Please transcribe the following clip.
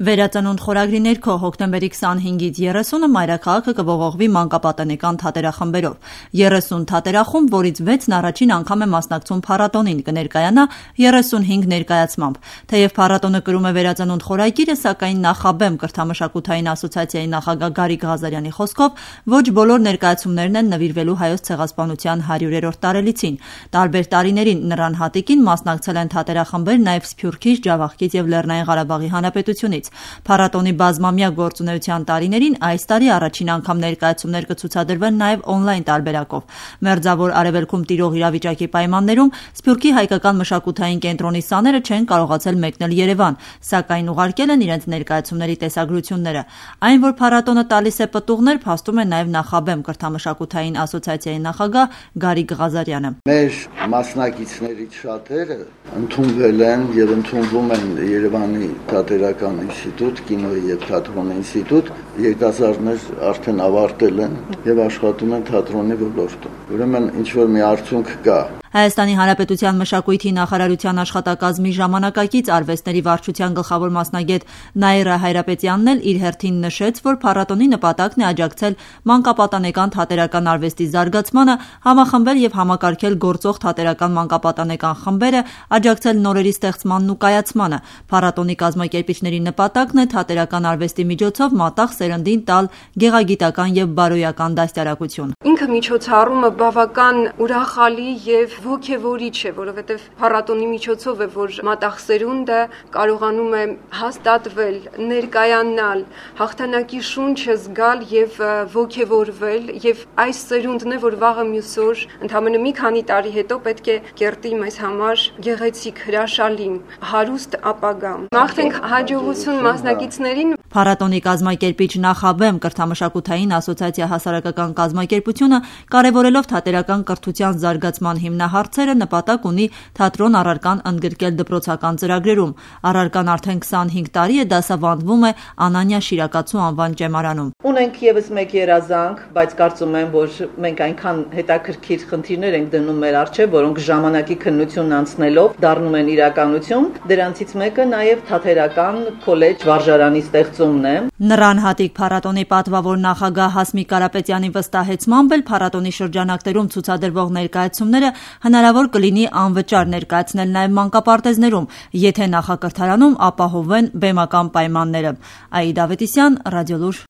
Վերածնունդ խորագրի ներքո հոկտեմբերի 25-ից 30-ը մայրաքաղաքը կողողվի մանկապատենեկան թատերախմբերով։ 30 թատերախումբ, որից 6-ն առաջին անգամ է մասնակցում փառատոնին, կներկայանա 35 ներկայացմամբ։ Թեև փառատոնը կրում է վերածնունդ խորագիրը, սակայն Նախաբեմ կրթամշակութային ասոցիացիայի նախագահ Գարիկ Ղազարյանի խոսքով ոչ բոլոր ներկայացումներն են նվիրվելու Հայոց ցեղասպանության 100-րդ տարելիցին։ Տարբեր տարիներին նրան հատիկին մասնակցել են թատերախմբեր նաև Սփյուռքից, Ջավախքից եւ Լեռնային Ղարաբաղի Հանրապետությունից։ Փառատոնի բազմամյա գործունեության տարիներին այս տարի առաջին անգամ ներկայացումներ կցուցադրվեն նաև օնլայն տարբերակով։ Մերձավոր Արևելքում տիրող իրավիճակի պայմաններում Սփյուռքի հայկական մշակութային կենտրոնի սաները չեն կարողացել մեկնել Երևան, սակայն ուղարկել են իրենց ներկայացումների տեսագրությունները։ Այն, որ փառատոնը տալիս է պտուղներ, փաստում է նաև Նախաբեմ կրթամշակութային ասոցիացիայի նախագահ Գարիկ Ղազարյանը։ Մեր մասնակիցներից շատերը ընդունվել են եւ ընդունվում են Երևանի թատերական ինստիտուտ, կինոյի եւ թատրոնի ինստիտուտ, երիտասարդներ արդեն ավարտել են եւ աշխատում են թատրոնի ոլորտում։ Ուրեմն ինչ որ մի արդյունք կա։ Հայաստանի Հանրապետության մշակույթի նախարարության աշխատակազմի ժամանակակից արվեստների վարչության գլխավոր մասնագետ Նաիրա Հայրապետյանն էլ իր հերթին նշեց, որ փառատոնի նպատակն է աջակցել մանկապատանեկան թատերական արվեստի զարգացմանը, համախմբել եւ համակարգել գործող թատերական մանկապատանեկան խմբերը, աջակցել նորերի ստեղծմանն ու կայացմանը։ Փառատոնի կազմակերպիչների նպատակն է թատերական արվեստի միջոցով մատաղ սերնդին տալ գեղագիտական եւ բարոյական դաստիարակություն։ Ինքը միջոցառումը բավական ուրախալի եւ ոգևորիչ է, որովհետեւ փառատոնի միջոցով է, որ մատաղ սերունդը կարողանում է հաստատվել, ներկայանալ, հաղթանակի շունչը զգալ եւ ոգևորվել, եւ այս սերունդն է, որ վաղը մյուս օր, ընդամենը մի քանի տարի հետո պետք է կերտի մեզ համար գեղեցիկ, հրաշալի, հարուստ ապագա։ Մաղթենք հաջողություն մասնակիցներին։ Փառատոնի կազմակերպիչ Նախաբեմ կրթամշակութային ասոցիացիա հասարակական կազմակերպությունը կարևորելով թատերական կրթության զարգացման հիմնահարցերը նպատակ ունի թատրոն առարկան ընդգրկել դպրոցական ծրագրերում։ Առարկան արդեն 25 տարի է դասավանդվում է Անանյա Շիրակացու անվան ճեմարանում։ Ունենք եւս մեկ երազանք, բայց կարծում եմ, որ մենք այնքան հետաքրքիր խնդիրներ ենք դնում մեր առջև, որոնք ժամանակի քննությունն անցնելով դառնում են իրականություն։ Դրանցից մեկը նաեւ թատերական քոլեջ վարժարանի ստեղծումն է։ Նրան հատիկ փառատոնի պատվավոր նախագահ Հասմիկ Կարապետյանի վստահեցմամբ էլ փառատոնի շրջանակներում ցուցադրվող ներկայացումները հնարավոր կլինի անվճար ներկայացնել նաև մանկապարտեզներում, եթե նախակրթարանում ապահովեն բեմական պայմանները։ Աիդա Ավետիսյան, Ռադիոլուր։